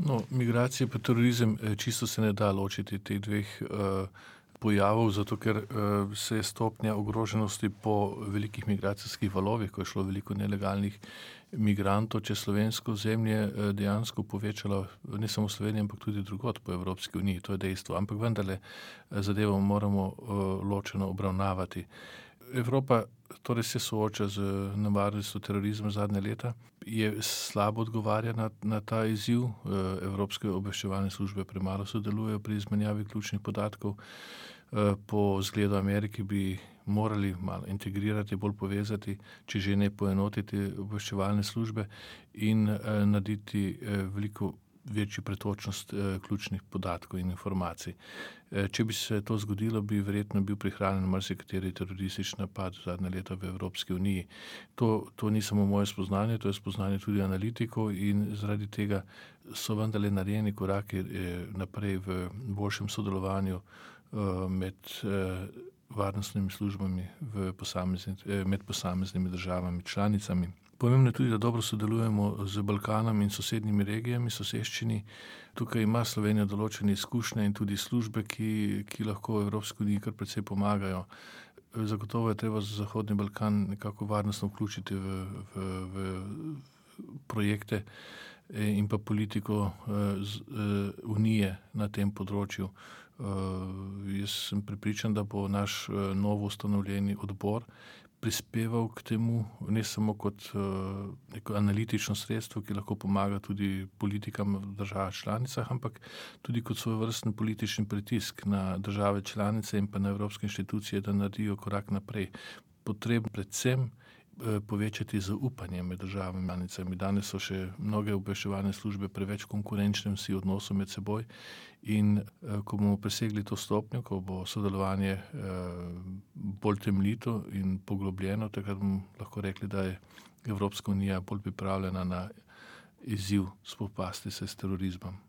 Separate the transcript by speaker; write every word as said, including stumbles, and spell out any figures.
Speaker 1: No, migracije pa terorizem, čisto se ne da ločiti teh dveh uh, pojavov, zato ker uh, se je stopnja ogroženosti po velikih migracijskih valovih, ko je šlo veliko nelegalnih migrantov čez slovensko ozemlje, uh, dejansko povečala ne samo v Sloveniji, ampak tudi drugod po Evropski uniji, to je dejstvo. Ampak vendarle zadevo moramo uh, ločeno obravnavati. Evropa torej se sooča z nevarnostjo terorizma zadnje leta, je slabo odgovarja na, na ta izziv. Evropske obveščevalne službe premalo sodelujejo pri izmenjavi ključnih podatkov. Po zgledu Amerike bi morali malo integrirati, bolj povezati, če že ne poenotiti obveščevalne službe in narediti veliko večjo pretočnost eh, ključnih podatkov in informacij. Eh, če bi se to zgodilo, bi verjetno bil prihranjen marsikateri teroristični napad zadnje leta v Evropski uniji. To, to ni samo moje spoznanje, to je spoznanje tudi analitikov in zaradi tega so vendarle narejeni koraki eh, naprej v boljšem sodelovanju eh, med eh, varnostnimi službami v posamezni, eh, med posameznimi državami, članicami. Pomembno je tudi, da dobro sodelujemo z Balkanom in sosednjimi regijami, soseščini. Tukaj ima Slovenija določene izkušnje in tudi službe, ki, ki lahko Evropski uniji kar precej pomagajo. Zagotovo je treba za Zahodni Balkan nekako varnostno vključiti v, v, v projekte in pa politiko z, unije na tem področju. Jaz sem prepričan, da bo naš novo ustanovljeni odbor prispeval k temu, ne samo kot uh, neko analitično sredstvo, ki lahko pomaga tudi politikam v državah članicah, ampak tudi kot svojevrsten politični pritisk na države članice in pa na evropske inštitucije, da naredijo korak naprej. Potrebno predvsem uh, povečati zaupanje med državami članicami. Danes so še mnoge obveščevalne službe preveč konkurenčne vsi odnosu med seboj in uh, ko bomo presegli to stopnjo, ko bo sodelovanje uh, bolj temeljito in poglobljeno, takrat bomo lahko rekli, da je Evropska unija bolj pripravljena na izziv spopasti se s terorizmom.